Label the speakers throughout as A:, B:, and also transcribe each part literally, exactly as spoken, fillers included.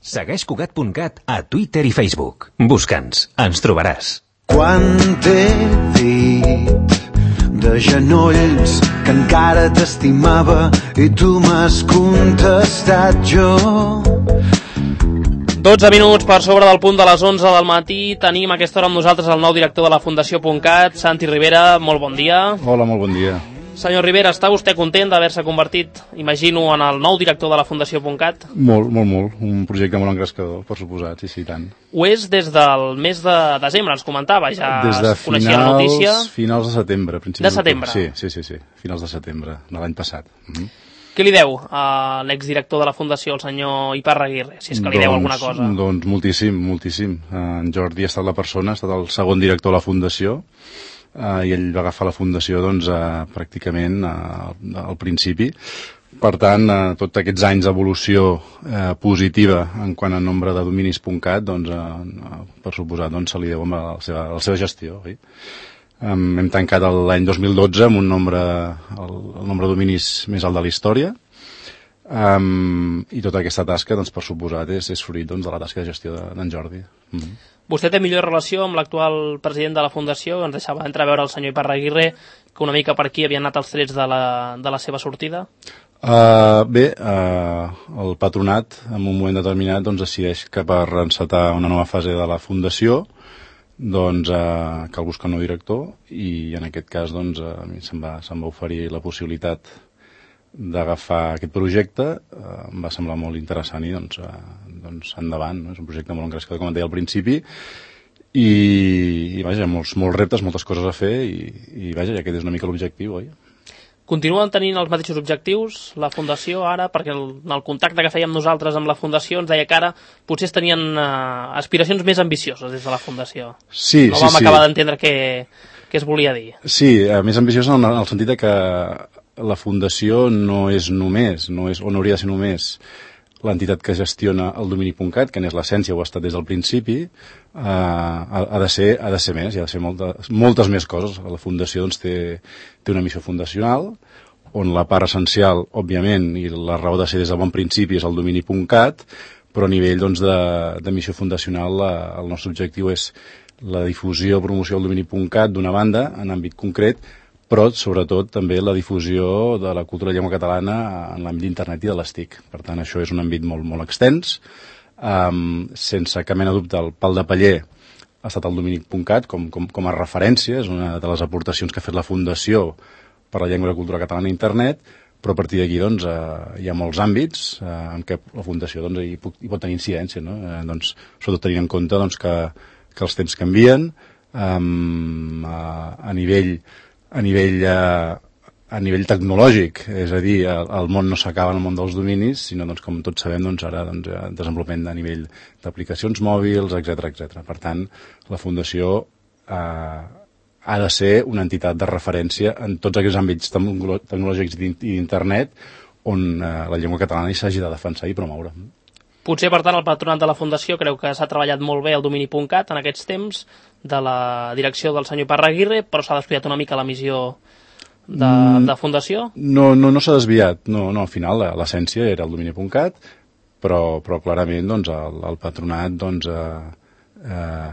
A: Segueix Cugat punt cat a Twitter i Facebook. Busca'ns, ens trobaràs.
B: Quan t'he dit de genolls que encara t'estimava i tu m'has contestat jo.
C: dotze minuts per sobre del punt de les onze del matí. Tenim a aquesta hora amb nosaltres el nou director de la Fundació .cat, Santi Rivera. Molt bon dia.
D: Hola, molt bon dia.
C: Senyor Rivera, està vostè content d'haver-se convertit, imagino, en el nou director de la Fundació .cat?
D: Molt, molt, molt. Un projecte molt engrescador, per suposat, sí, sí, tant.
C: Ho és des del mes de desembre, ens comentava, ja
D: des de
C: es coneixia la notícia.
D: Des de finals de setembre, principis
C: de setembre?
D: Sí, sí, sí, sí, finals de setembre, de l'any passat. Mm-hmm.
C: Què li deu a l'exdirector de la Fundació, el senyor Iparraguirre, si és que li
D: doncs,
C: deu alguna cosa?
D: Doncs moltíssim, moltíssim. En Jordi ha estat la persona, ha estat el segon director de la Fundació, Uh, i ell va agafar la Fundació doncs, uh, pràcticament uh, al principi. Per tant, uh, tots aquests anys d'evolució uh, positiva en quant a nombre de dominis .cat, doncs, uh, per suposat, doncs, se li deu a la seva, a la seva gestió. Oi? Um, hem tancat l'any dos mil dotze amb un nombre, el, el nombre de dominis més alt de la història, um, i tota aquesta tasca, doncs, per suposat, és, és fruit doncs, de la tasca de gestió d'en Jordi. Mm-hmm.
C: Vostè té millor relació amb l'actual president de la Fundació? Ens deixava entreveure el senyor Iparraguirre que una mica per aquí havien anat els trets de la, de la seva sortida?
D: Uh, bé, uh, el patronat en un moment determinat doncs, decideix que per encetar una nova fase de la Fundació doncs, uh, cal buscar un nou director, i en aquest cas doncs, uh, a mi se'm va, se'm va oferir la possibilitat d'agafar aquest projecte. Uh, em va semblar molt interessant i doncs, uh, doncs endavant, no? És un projecte molt engrescador, com et deia al principi, i, i vaja, molts, molts reptes, moltes coses a fer, i, i vaja, ja aquest és una mica l'objectiu, oi?
C: Continuen tenint els mateixos objectius la Fundació ara? Perquè el, el contacte que fèiem nosaltres amb la Fundació ens deia que ara potser tenien uh, aspiracions més ambicioses des de la Fundació.
D: Sí,
C: no
D: sí,
C: vam
D: sí.
C: acabar d'entendre què, què es volia dir.
D: Sí, uh, més ambicioses en, en el sentit de que la Fundació no és només, no és, o no hauria de ser només l'entitat que gestiona el domini .cat, que n'és l'essència, ho ha estat des del principi, uh, ha, ha, de ser, ha de ser més, hi ha de ser moltes, moltes més coses. La Fundació doncs, té, té una missió fundacional, on la part essencial, òbviament, i la raó de ser des del bon principi és el domini .cat, però a nivell doncs, de, de missió fundacional la, el nostre objectiu és la difusió o promoció del domini .cat d'una banda, en àmbit concret, però sobretot també la difusió de la cultura de llengua catalana en l'àmbit d'internet i de les T I C. Per tant, això és un àmbit molt, molt extens. Um, sense cap mena de dubte, el pal de paller ha estat el domini .cat com, com, com a referència, és una de les aportacions que ha fet la Fundació per la llengua i la cultura catalana a internet, però a partir d'aquí doncs, eh, hi ha molts àmbits eh, en què la Fundació doncs, hi, pot, hi pot tenir incidència, no? eh, doncs, sobretot tenint en compte doncs, que, que els temps canvien, um, a, a nivell a nivell, eh, a nivell tecnològic, és a dir, el, el món no s'acaba en el món dels dominis, sinó, doncs, com tots sabem, doncs, ara doncs, desenvolupament a nivell d'aplicacions mòbils, etcètera, etcètera. Per tant, la Fundació eh, ha de ser una entitat de referència en tots aquests àmbits tecnològics i d'internet on eh, la llengua catalana hi s'hagi de defensar i promoure.
C: Potser, per tant, el patronat de la Fundació creu que s'ha treballat molt bé el domini .cat en aquests temps de la direcció del senyor Iparraguirre, però s'ha descuidat una mica la missió de, mm, de Fundació?
D: No, no, no s'ha desviat. No, no, al final l'essència era el domini .cat, però, però clarament doncs, el, el patronat doncs, eh, eh,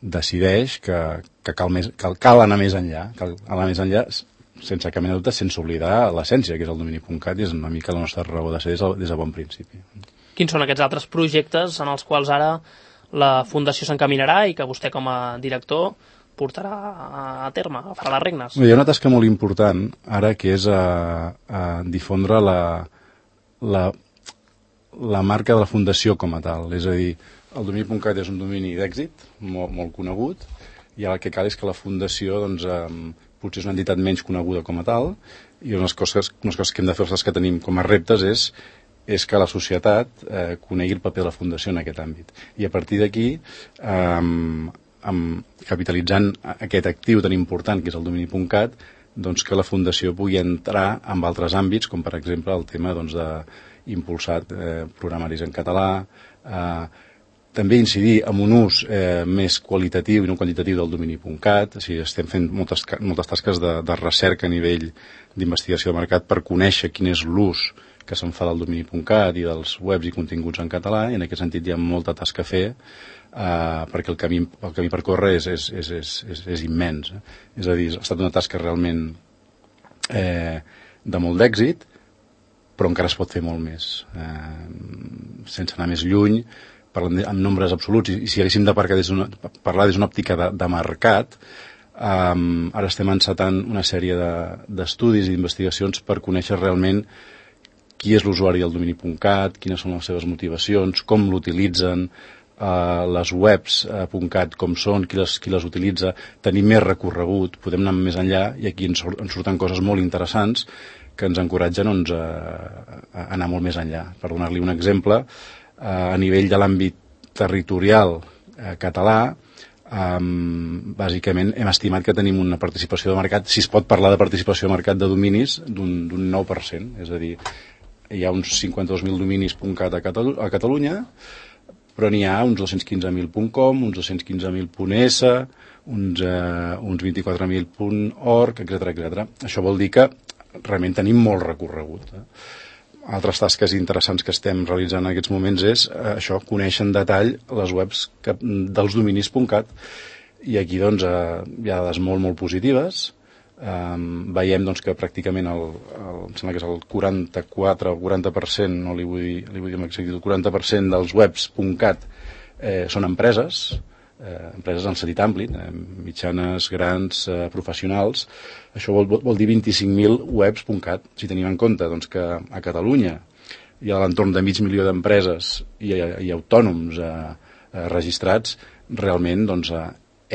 D: decideix que, que cal, més, cal, cal anar més enllà, cal anar més enllà sense cap mena de dubte, sense oblidar l'essència, que és el domini .cat, i és una mica la nostra raó de ser des de, des de bon principi.
C: Quins són aquests altres projectes en els quals ara la Fundació s'encaminarà i que vostè com a director portarà a terme, farà les regnes?
D: Hi ha una tasca molt important ara, que és a, a difondre la, la, la marca de la Fundació com a tal. És a dir, el domini .cat és un domini d'èxit, molt, molt conegut, i ara el que cal és que la Fundació doncs, eh, potser és una entitat menys coneguda com a tal, i unes coses, unes coses que hem de fer, les que tenim com a reptes, és és que la societat eh, conegui el paper de la Fundació en aquest àmbit. I a partir d'aquí, eh, capitalitzant aquest actiu tan important que és el domini .cat, doncs que la Fundació pugui entrar en altres àmbits, com per exemple el tema doncs, d'impulsar eh, programaris en català, eh, també incidir en un ús eh, més qualitatiu i no quantitatiu del domini .cat. O sigui, estem fent moltes, moltes tasques de, de recerca a nivell d'investigació de mercat per conèixer quin és l'ús que se'n fa del domini punt cat i dels webs i continguts en català, i en aquest sentit hi ha molta tasca a fer, eh, perquè el camí, el camí per córrer és, és, és, és, és, és immens. Eh? És a dir, ha estat una tasca realment eh, de molt d'èxit, però encara es pot fer molt més. Eh, sense anar més lluny, parlant en nombres absoluts, i, i si haguéssim de parlar des d'una, parlar des d'una òptica de, de mercat, Um, ara estem encetant una sèrie d'estudis de, i d'investigacions per conèixer realment qui és l'usuari del domini punt cat, quines són les seves motivacions, com l'utilitzen, uh, les webs uh, .cat com són, qui les, qui les utilitza, tenir més recorregut, podem anar més enllà, i aquí ens, ens surten coses molt interessants que ens encoratgen doncs, a, a anar molt més enllà. Per donar-li un exemple, uh, a nivell de l'àmbit territorial uh, català, Um, bàsicament hem estimat que tenim una participació de mercat, si es pot parlar de participació de mercat de dominis, d'un nou per cent, és a dir, hi ha uns cinquanta-dos mil dominis .cat a, Catalu a Catalunya, però n'hi ha uns dos-cents quinze mil .com, uns dos-cents quinze mil .es, uns, uh, uns vint-i-quatre mil .org, etcètera, etcètera. Això vol dir que realment tenim molt recorregut. Eh? Altres tasques interessants que estem realitzant en aquests moments és eh, això, conèixer en detall les webs que, dels dominis .cat, i aquí doncs, eh, hi ha dades molt, molt positives. Eh, veiem doncs, que pràcticament el, el, em sembla que és el quaranta-quatre o quaranta per cent, no li vull dir, li vull dir amb exactitud, el quaranta per cent dels webs .cat eh, són empreses, eh, empreses en sentit ampli, eh, mitjanes, grans, eh, professionals. Això vol, vol dir vint-i-cinc mil webs .cat. Si tenim en compte doncs, que a Catalunya hi ha a l'entorn de mig milió d'empreses i, i autònoms eh, eh, registrats, realment doncs, eh,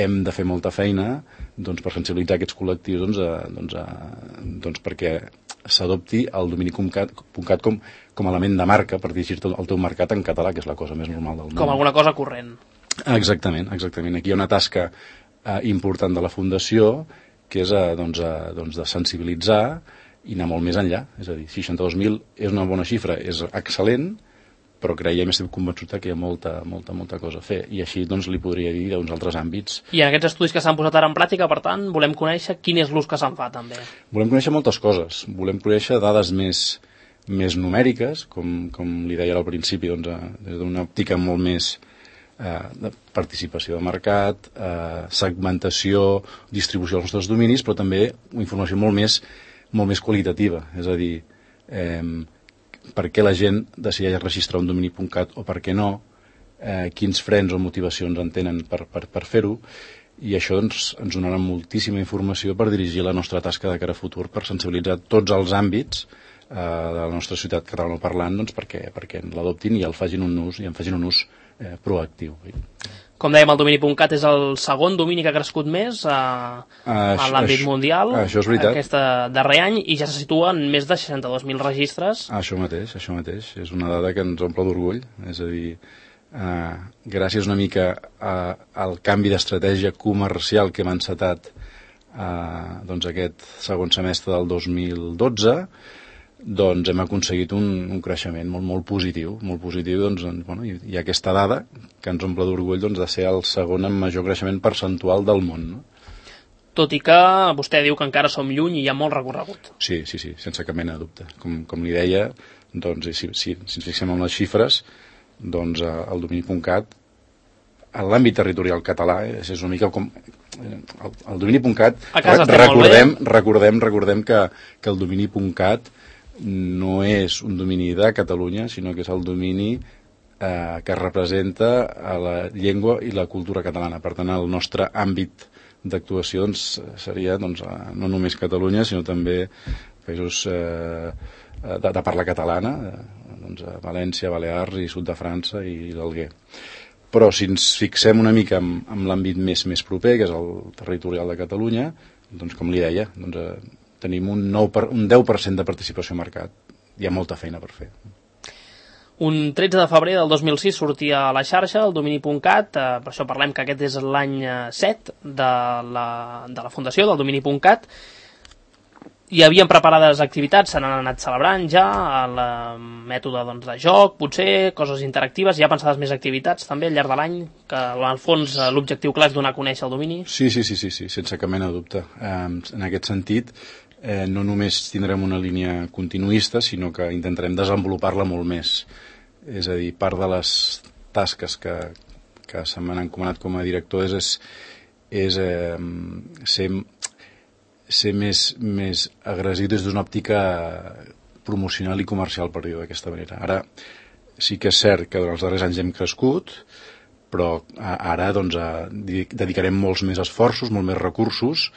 D: hem de fer molta feina doncs, per sensibilitzar aquests col·lectius doncs, eh, doncs, eh, doncs, perquè s'adopti el domini punt cat com, com a element de marca per dirigir el teu mercat en català, que és la cosa més normal del món.
C: Com alguna cosa corrent.
D: Exactament, exactament. Aquí hi ha una tasca eh, important de la Fundació, que és eh, doncs, eh, doncs de sensibilitzar i anar molt més enllà. És a dir, seixanta-dos mil és una bona xifra, és excel·lent, però creiem, estem convençuts que hi ha molta, molta, molta cosa a fer. I així doncs, li podria dir d'uns altres àmbits.
C: I en aquests estudis que s'han posat ara en pràctica, per tant, volem conèixer quin és l'ús que se'n fa, també.
D: Volem conèixer moltes coses. Volem conèixer dades més, més numèriques, com, com li deia al principi, doncs, des d'una òptica molt més eh, de participació de mercat, eh, segmentació, distribució dels nostres dominis, però també informació molt més, molt més qualitativa. És a dir, eh, per què la gent decideix registrar un domini punt cat o per què no, eh, quins frens o motivacions en tenen per, per, per fer-ho, i això doncs, ens donarà moltíssima informació per dirigir la nostra tasca de cara a futur, per sensibilitzar tots els àmbits eh, de la nostra ciutat catalanoparlant doncs, perquè, perquè l'adoptin i el facin un ús, i en facin un ús eh, proactiu.
C: Com dèiem, el domini punt cat és el segon domini que ha crescut més a, a l'àmbit mundial
D: això és veritat.
C: Aquest darrer any, i ja se situa en més de seixanta-dos mil registres.
D: Això mateix, això mateix. És una dada que ens omple d'orgull. És a dir, eh, gràcies una mica a, al canvi d'estratègia comercial que hem encetat eh, doncs aquest segon semestre del dos mil dotze, doncs hem aconseguit un, un creixement molt, molt positiu, molt positiu, doncs, bueno, hi, hi ha aquesta dada que ens omple d'orgull doncs, de ser el segon amb major creixement percentual del món, no?
C: Tot i que vostè diu que encara som lluny i hi ha molt recorregut.
D: Sí, sí, sí, sense cap mena de dubte. Com, com li deia, doncs, si, si, si ens fixem en les xifres, doncs el domini punt cat, en l'àmbit territorial català, eh, és una mica com... El, el domini punt cat, recordem, recordem, recordem que, que el domini punt cat no és un domini de Catalunya, sinó que és el domini eh, que representa a la llengua i la cultura catalana. Per tant, el nostre àmbit d'actuació doncs, seria doncs, no només Catalunya, sinó també països eh, de, de parla catalana, eh, doncs, València, Balears i sud de França i l'Alguer. Però si ens fixem una mica en, en l'àmbit més, més proper, que és el territorial de Catalunya, doncs, com li deia, doncs, eh, tenim un, nou per, un deu per cent de participació al mercat. Hi ha molta feina per fer.
C: Un tretze de febrer del dos mil sis sortia a la xarxa el domini punt cat, eh, per això parlem que aquest és l'any set de la, de la fundació del domini punt cat. Hi havien preparades activitats, se n'han anat celebrant ja, el mètode doncs, de joc, potser, coses interactives. Hi ha pensades més activitats també al llarg de l'any, que al fons l'objectiu clar és donar a conèixer el domini?
D: Sí, sí, sí, sí, sí, sense cap mena de dubte. Eh, en aquest sentit, eh, no només tindrem una línia continuista, sinó que intentarem desenvolupar-la molt més. És a dir, part de les tasques que, que se m'han encomanat com a director és, és, és eh, ser, ser més, més agressiu des d'una òptica promocional i comercial, per dir-ho d'aquesta manera. Ara, sí que és cert que durant els darrers anys hem crescut, però ara doncs, dedicarem molts més esforços, molts més recursos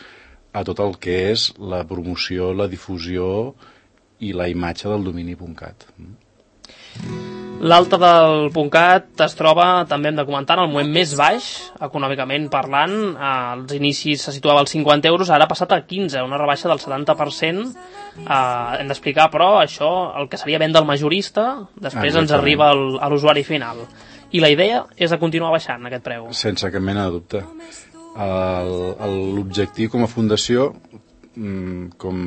D: a tot el que és la promoció, la difusió i la imatge del domini.cat.
C: L'alta del .cat es troba, també hem de comentar, en el moment més baix, econòmicament parlant. Als inicis se situava als cinquanta euros, ara ha passat a quinze, una rebaixa del setanta per cent. Eh, hem d'explicar, però, això, el que seria venda al majorista, després ens arriba al, a l'usuari final. I la idea és de continuar baixant aquest preu.
D: Sense cap mena de dubte. L'objectiu com a fundació, com,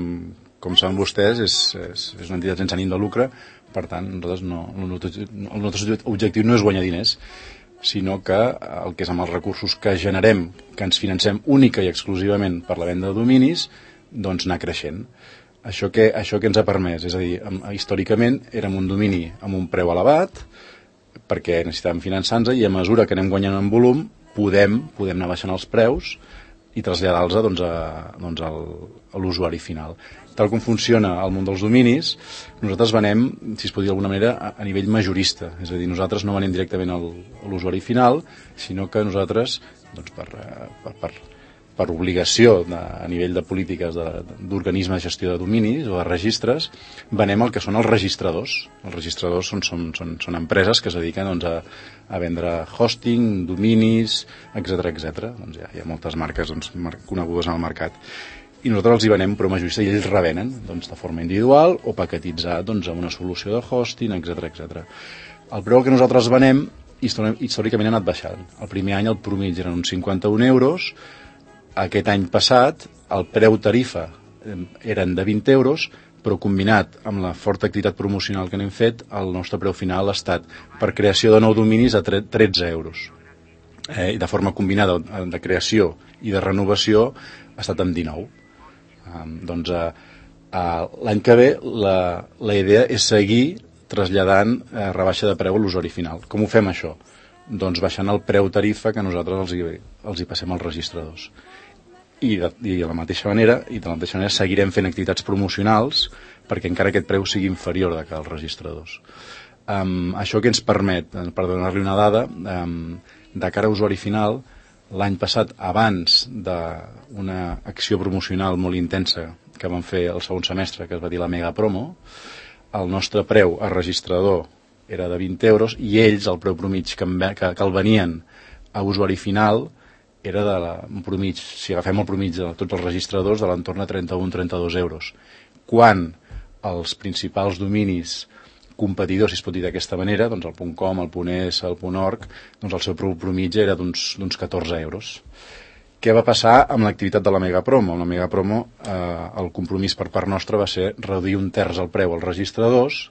D: com saben vostès, és, és, és una entitat sense ànim de lucre. Per tant, nosaltres no, el nostre objectiu no és guanyar diners, sinó que el que és amb els recursos que generem, que ens financem única i exclusivament per la venda de dominis, doncs anar creixent. Això que, això que ens ha permès, és a dir, històricament érem un domini amb un preu elevat, perquè necessitàvem finançar-nos, i a mesura que anem guanyant en volum podem, podem anar baixant els preus i traslladar-los doncs, a, doncs al, a l'usuari final. Tal com funciona el món dels dominis, nosaltres venem, si es pot dir d'alguna manera, a, a nivell majorista. És a dir, nosaltres no venem directament al, a l'usuari final, sinó que nosaltres, doncs, per, per, per, per obligació de, a nivell de polítiques d'organismes de gestió de dominis o de registres, venem el que són els registradors. Els registradors són, són, són, són empreses que es dediquen doncs, a, a vendre hosting, dominis, etcètera etcètera. Doncs hi ha, hi ha moltes marques doncs, conegudes en el mercat. I nosaltres els hi venem però majorista i ells revenen doncs, de forma individual o paquetitzat doncs, amb una solució de hosting, etcètera etcètera. El preu que nosaltres venem històricament ha anat baixant. El primer any el promig eren uns cinquanta-un euros, aquest any passat el preu tarifa eren de vint euros, però combinat amb la forta activitat promocional que n'hem fet, el nostre preu final ha estat per creació de nou dominis a tretze euros. Eh, I de forma combinada de creació i de renovació ha estat amb dinou. Um, doncs uh, uh, l'any que ve la, la idea és seguir traslladant uh, rebaixa de preu a l'usuari final. Com ho fem això? Doncs baixant el preu tarifa que nosaltres els hi, els hi passem als registradors. I de, i de la mateixa manera i de la mateixa manera seguirem fent activitats promocionals perquè encara aquest preu sigui inferior de que als registradors. Um, això que ens permet, per donar-li una dada, um, de cara a usuari final, l'any passat, abans d'una acció promocional molt intensa que vam fer el segon semestre, que es va dir la Mega Promo, el nostre preu a registrador era de vint euros i ells, el preu promig que, que, que el venien a usuari final, era de la, un promig, si agafem el promig de tots els registradors, de l'entorn de trenta-un a trenta-dos euros. Quan els principals dominis competidors, si es pot dir d'aquesta manera, doncs el .com, el .es, el .org, doncs el seu preu promig era d'uns catorze euros. Què va passar amb l'activitat de la Mega Promo? Amb la Mega Promo eh, el compromís per part nostra va ser reduir un terç el preu als registradors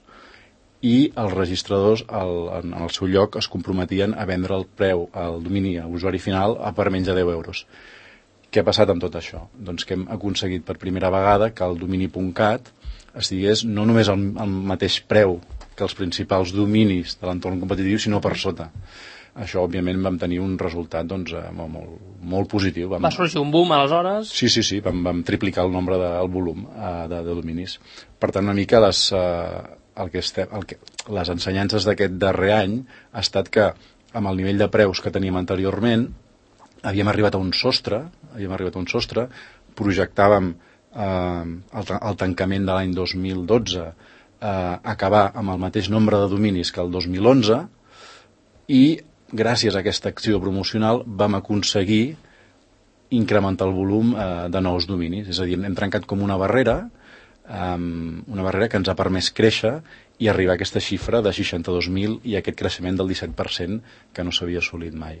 D: i els registradors el, en el seu lloc es comprometien a vendre el preu al domini a usuari final a per menys de deu euros. Què ha passat amb tot això? Doncs que hem aconseguit per primera vegada que el domini.cat estigués no només al, al mateix preu que els principals dominis de l'entorn competitiu, sinó per sota. Això, òbviament, vam tenir un resultat doncs, molt, molt, molt positiu. Vam...
C: Va sorgir un boom, aleshores?
D: Sí, sí, sí, vam, vam triplicar el nombre del de, volum uh, de, de dominis. Per tant, una mica les, uh, el que estem, el que, les ensenyances d'aquest darrer any ha estat que, amb el nivell de preus que teníem anteriorment, havíem arribat a un sostre, havíem arribat a un sostre, projectàvem uh, el, el tancament de l'any dos mil dotze eh, acabar amb el mateix nombre de dominis que el dos mil onze i gràcies a aquesta acció promocional vam aconseguir incrementar el volum eh, de nous dominis. És a dir, hem trencat com una barrera, eh, una barrera que ens ha permès créixer i arribar a aquesta xifra de seixanta-dos mil i aquest creixement del disset per cent que no s'havia assolit mai.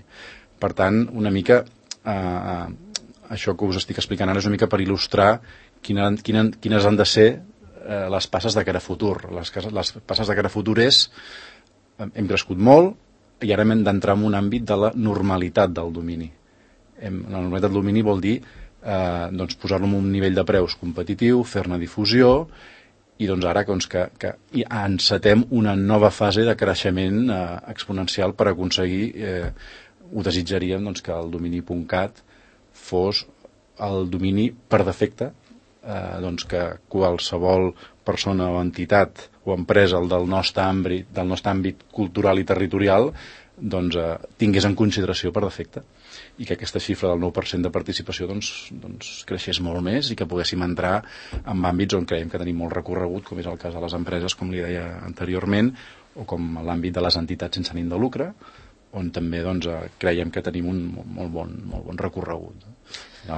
D: Per tant, una mica, eh, això que us estic explicant ara és una mica per il·lustrar quina, quina, quines han de ser eh, les passes de cara a futur. Les, les passes de cara a futur és, hem crescut molt, i ara hem d'entrar en un àmbit de la normalitat del domini. Hem, la normalitat del domini vol dir eh, doncs posar-lo en un nivell de preus competitiu, fer-ne difusió, i doncs ara doncs, que, que encetem una nova fase de creixement eh, exponencial per aconseguir, eh, ho desitjaríem doncs, que el domini punt cat fos el domini per defecte, eh, doncs que qualsevol persona o entitat o empresa del nostre àmbit, del nostre àmbit cultural i territorial doncs, eh, tingués en consideració per defecte, i que aquesta xifra del nou per cent de participació doncs, doncs, creixés molt més i que poguéssim entrar en àmbits on creiem que tenim molt recorregut, com és el cas de les empreses, com li deia anteriorment, o com l'àmbit de les entitats sense ànim de lucre, on també doncs, creiem que tenim un molt bon, molt bon recorregut.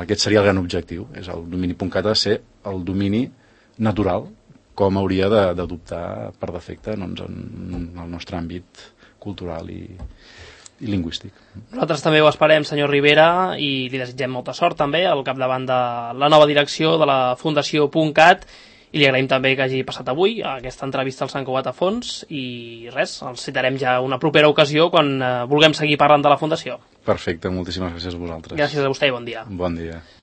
D: Aquest seria el gran objectiu, és el domini punt cat ha de ser el domini natural, com hauria d'adoptar per defecte doncs, en el nostre àmbit cultural i, i lingüístic.
C: Nosaltres també ho esperem, senyor Rivera, i li desitgem molta sort també al capdavant de la nova direcció de la Fundació .cat, i li agraïm també que hagi passat avui aquesta entrevista al Sant Cugat a fons, i res, els citarem ja una propera ocasió quan eh, vulguem seguir parlant de la Fundació.
D: Perfecte, moltíssimes gràcies a vosaltres.
C: Gràcies a vostè i bon dia.
D: Bon dia.